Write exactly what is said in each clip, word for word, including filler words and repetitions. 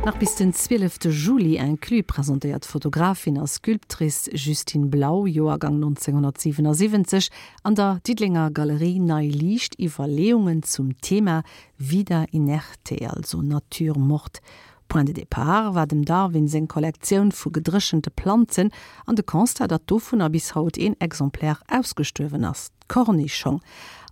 Nach bis den zwielefte Juli inclus presentéiert d'Fotografin a Sculptrice Justine Blau, Joergang neunzehnhundertsiewenundsiebzeg, an der Diddelenger Galerie Nei Liicht Iwwerleeungen zum Thema Vida inerte, also Nature morte. Point de départ war dem Darwin seng Kollektioun vu gedréchente Planzen an de Constat, datt dovunner bis haut een Exemplaire ausgestuerwen ass, d'Kornischong.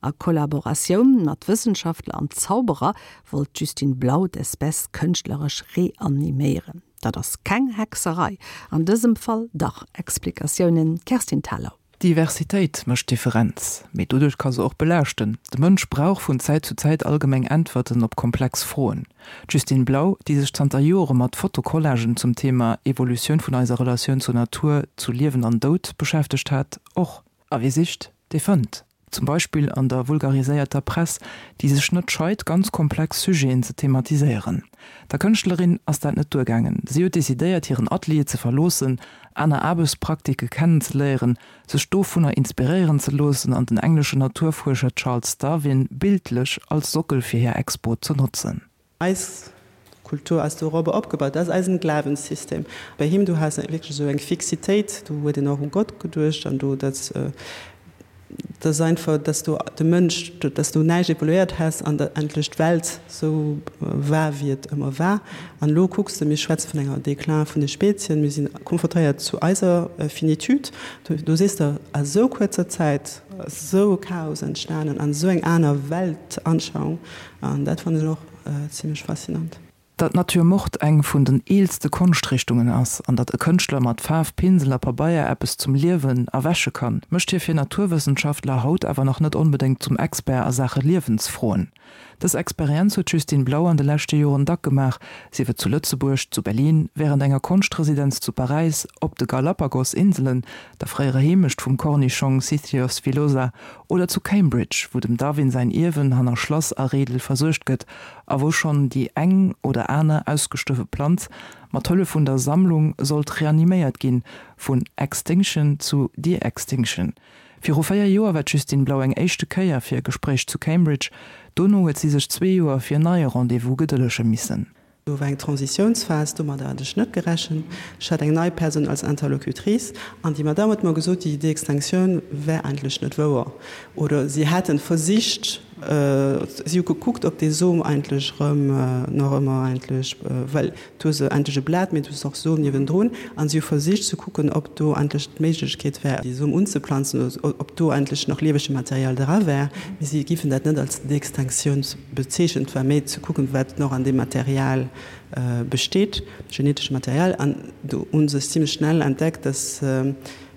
A Kollaboratioun mat Wëssenschaftler an Zauberer wollt d'Justine Blau d'Espèce kënschtleresch reaniméieren. Dat ass keng Hexerei, an dësem Fall dach. Explikatiounen Kerstin Thalau. Diversitéit mécht d'Differenz, mee doduerch ka se och belaaschten. De Mënsch brauch vun Zäit zu Zäit allgemeng Äntwerten op komplex Froen. D'Justine Blau, déi sech zanter Jore mat Fotocollagen zum Thema Evolutioun vun eiser Relatioun zur Natur, zu Liewen an Doud beschäftegt hat, och. A wie sicht, dee fënnt. Zum Beispill an der vulgariséierter Press, déi sech net scheit, ganz komplex Sujeten ze thematiséieren. Der Kënschtlerin ass dat net duergaangen. Si huet decidéiert, hiren Atelier ze verloossen, aner Aarbechtspraktike kennenzeléieren, sech dovunner inspiréieren ze loossen an den engleschen Naturfuerscher Charles Darwin bildlech als Sockel fir hir Expo ze notzen. Eis Kultur ass dorobber opgebaut, dat ass eisen Glawenssystem. Bei him, du has wierklech esou eng Fixitéit, do huet een och u Gott geduecht an do dat, dat ass einfach, dass do de Mënsch, dass do näischt evoluéiert häss an dat endlech d'Welt esou war, wéi et ëmmer war. An elo kucks de, mir schwätze vun enger Déclin vun de Spezien, mir sinn konfrontéiert zu eiser Finitude. Do, do sees de, a sou kuerzer Zäit ass esou e Chaos entstanen an esou eng aner Weltanschauung an dat fannen ech och zimlech faszinant. Datt d'Nature morte eng vun den eelste Konschtrichtungen ass an datt e Kënschtler mat Faarf, Pinsel a Pabeier eppes zum Liewen erwäche kann, mécht hie fir Naturwëssenschaftler haut awer nach net onbedéngt zum Expert a Saache Liewensfroen. Dës Experienz huet d'Justine Blau an de leschte Joren dack gemaach, sief et zu Lëtzebuerg, zu Berlin, wärend enger Konschtresidenz zu Paräis, op de Galapagos-Inselen, der fréierer Heemecht vum Kornischong Sicyos villosa, oder zu Cambridge, wou dem Darwin säin Ierwen hanner Schlass a Reedel versuergt gëtt a wou schonn déi eng oder aner ausgestuerwe Planz mat Hëllef vun der Sammlung sollt reaniméiert ginn, vun Extinction zu De-Extinction. Viru véier Joer war d'Justine Blau eng éischte Kéier fir e Gespréich zu Cambridge, dono huet si sech zwee Joer fir en neie Rendez-vous gedëllege missen. Do war eng Transitiounsphas, domadder hat ech net gerechent. Ech hat eng nei Persoun als Interlocutrice an déi Madame huet mer gesot, déi De-Extinctioun wär eigentlech net wouer. Oder si hätten versicht, si hu gekuckt, ob dee Som eigentlech erëm nach ëmmer eigentlech, well du hues eigentlech e Blat, mee du hues och Som niewendrun, an si hu versicht ze kucken, ob do eigentlech d'Méiglechkeet wär, dee Som unzeplanzen, oder ob do eigentlech nach liewege Material dra wär. Mee si giffen dat net als De-Extinctioun bezeechnen. Et war méi ze kucken, wat nach an deem Material besteet, genetesche Material. An do hu se zimlech schnell entdeckt, dass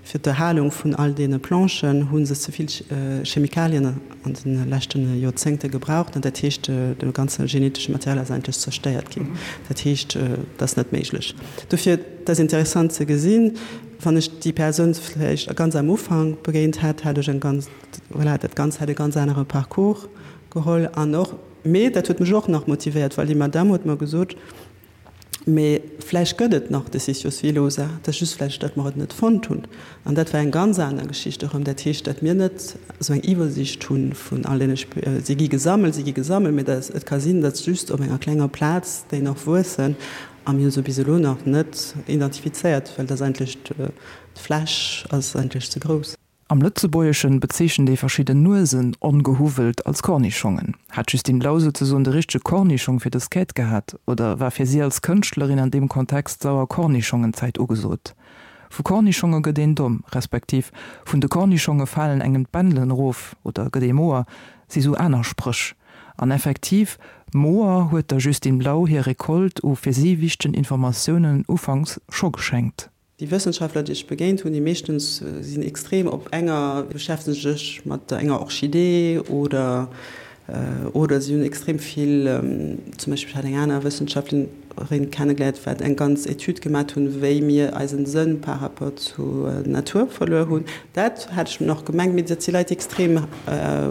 fir d'Erhalung vun all deene Planchen hu se ze vill Chemikalien an de leschte Joerzéngte gebraucht. An dat heescht, de ganze genetesche Material ass eigentlech zerstéiert ginn. Dat heescht, dat ass net méiglech. Dofir, et ass interessant ze gesinn, wann ech déi Persoun vläicht ganz am Ufank begéint hätt, hätt ech eng ganz, voilà, dat Ganzt hätt e ganz anere Parcours geholl. An och, mee dat huet mech och nach motivéiert, well déi Madame huet mer gesot, Mee vläicht gëtt et nach de Sisyphos Villosa, et ass just vläicht, datt mer et net fonnt hunn. An dat war eng ganz aner Geschicht erëm. Dat heescht, datt mir net esou eng Iwwersicht hu vun all deene, si gi gesammelt, si gi gesammelt, mee dat, et ka sinn, datt just op enger klenger Plaz déi nach wuessen a mir hu se bis elo nach net identifizéiert, well dat ass eigentlech, d'Fläch ass eigentlech ze grouss. Am Lëtzebuergeschen bezeechent ee verschidden Nuesen ongehuwwelt als Kornischongen. Hat d'Justine Blau souzesoen de richtege Kornischong fir dës Quête gehat, oder war fir si als Kënschtlerin an deem Kontext sauer Kornischongenzäit ugesot? Vu Kornischonge gëtt een domm, respektiv vun de Kornischonge falen engem d'Bändelen erof oder gëtt ee moer, si sou aner Spréch. An effektiv, moer huet der Justine Blau hir Recolte u fir si wichtegen Informatiounen ufanks scho geschenkt. Déi Wëssenschaftler, déi ech begéint hunn, déi meeschtens sinn extrem op enger, beschäftege sech mat enger Orchidee oder oder si hunn extrem vill, zum Beispill ech hat eng aner Wëssenschaftlerin kennegeléiert, wat eng ganz Etüd gemat hunn, wéi mir eisen Sënn par rapport zur Natur verluer hunn. Dat hat ech nach gemengt, mee dat si Leit, déi extrem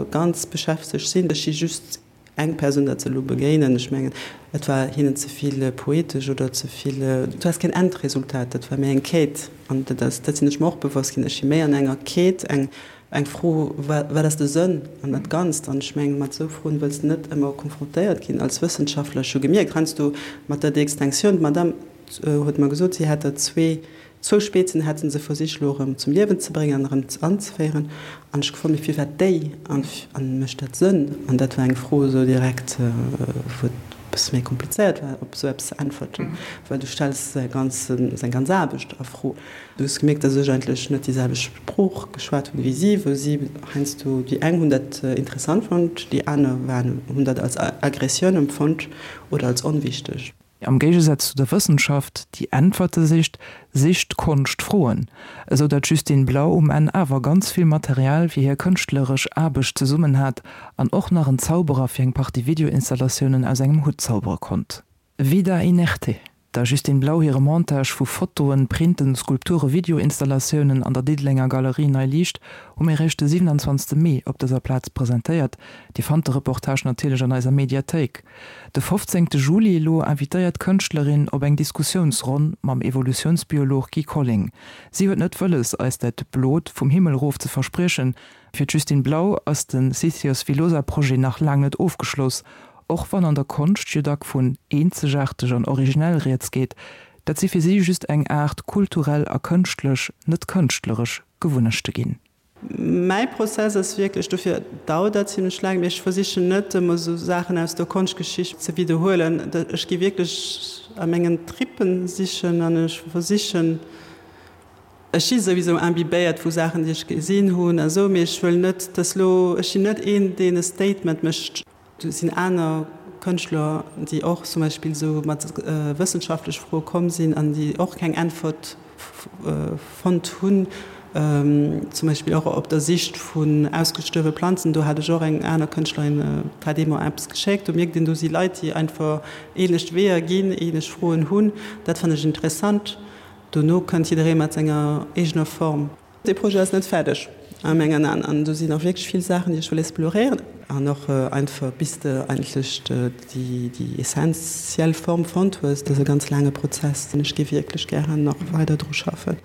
ganz beschäftegt sinn. Ech si just Eng Persoun dat se elo begéinen, ech mengen, et war hinnen ze vill poetesch oder ze vill, du has keen Endresultat, dat war méi eng Quête. An dat ass, dat sinn ech mer och bewosst ginn, ech si méi an enger Quête, eng, Eng Fro, wat ass de Sënn an dat Ganzt? An ech mengen, mat esou Froen wëlls de net ëmmer konfrontéiert ginn als Wëssenschaftler. Ech hu gemierkt, heiansdo mat der De-Extinktioun, d'Madame huet mer gesot, si hätt der zwee, zwou Spezen hätte se versicht elo erëm zum Liewen ze bréngen an erëm anzeféieren. An ech gefrot, mee firwat déi? An mécht dat Sënn? An dat war eng Fro esou direkt, wou et e bësse méi komplizéiert war, op esou eppes ze äntwerten, well du stells säi ganzen, seng ganz Aarbecht a Fro. Du hues gemierkt, dass ech eigentlech net déi selwecht Sprooch geschwat hunn wéi si, wou si heiansdo, déi eng hunn dat interessant fonnt, déi aner waren, hunn dat als Aggressioun empfonnt oder als onwichteg. Am Géigesaz zu der Wëssenschaft, déi Äntwerte sicht, sicht d'Konscht Froen, esou datt d'Justine Blau um Enn awer ganz vill Material fir hir kënschtleresch Aarbecht zesummen hat an och nach en Zauberer fir eng Partie Videoinstallatiounen aus engem Hutt zaubere konnt. Vida inerte, Der Justine Blau hire Montage vu Fotoen, Printen, Skulpture, Videoinstallatiounen an der Diddelenger Galerie Nei Liicht hu mir eréischt de siwenanzwanzegste Mee op dëser Plaz presentéiert. Dir fannt de Reportage natierlech an eiser Mediathéik. De fofzéngte Juli elo invitéiert d'Kënschtlerin op eng Diskussiounsronn mam Evolutiounsbiolog Guy Colling. Si huet net wëlles, eis dat Blot vum Himmel erof ze verspriechen. Fir d'Justine Blau ass de Sithios Villosa-Projet nach laang net ofgeschloss. Och wann an der Konscht jo dack vun eenzegaarteg an originell rieds geet, dat si fir si just eng Aart kulturell a kënschtlech, net kënschtleresch, Gewunnechte ginn. Mäi Prozess ass wierklech, dofir dauert dat zimlech laang, mee ech versichen net ëmmer esou Saachen aus der Konschtgeschicht ze widderhuelen. Ech gi wierklech a mengen Trippen sichen an ech versichen, ech si souwisou imbibéiert vu Saachen, déi ech gesinn hunn a sou, mee ech wëll net, dass lo, ech sinn net een, deen e Statement mécht. Do sinn aner Kënschtler, déi och zum Beispill esou mat wëssenschaftlech Froe komm sinn an déi och keng Äntwert fonnt hunn, zum Beispill och op der Sicht vun ausgestuerwe Planzen. Do hat ech och eng aner Kënschtlerin, hat ee mer eppes geschéckt. Do mierkt een, do si Leit, déi einfach ähnlech Weeër ginn, ähnlech Froen hunn. Dat fannen ech interessant. Dono kënnt jidderee mat senger eegener Form. Dee Projet ass net fäerdeg a mengen Aen an do sinn nach wierklech vill Saachen, déi ech wëll exploréieren an och einfach bis de eigentlech déi déi essentiell Form fonnt hues. Dat ass e ganz laange Prozess an ech géif wierklech gären nach weider dru schaffen.